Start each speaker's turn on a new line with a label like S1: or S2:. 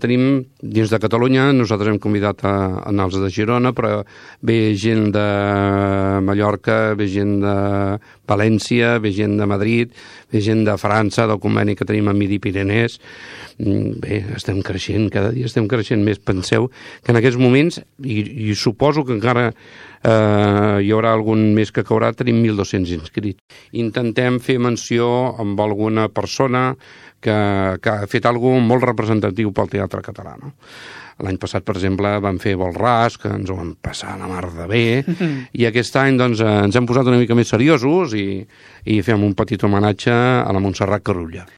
S1: tenim, dins de Catalunya, nosaltres hem convidat a anar als de Girona, però ve gent de Mallorca, ve gent de València, ve gent de Madrid, ve gent de França, del conveni que tenim a Midi Pirenès. Bé, estem creixent, cada dia estem creixent més. Penseu que en aquests moments, i suposo que encara hi haurà algun més que caurà, tenim 1.200 inscrits. Intentem fer menció amb alguna persona que ha fet alguna cosa molt representatiu pel teatre català, no? L'any passat, per exemple, vam fer Volràs, que ens ho vam passar a la mar de bé, i aquest any doncs, ens hem posat una mica més seriosos i fem un petit homenatge a la Montserrat Carulla.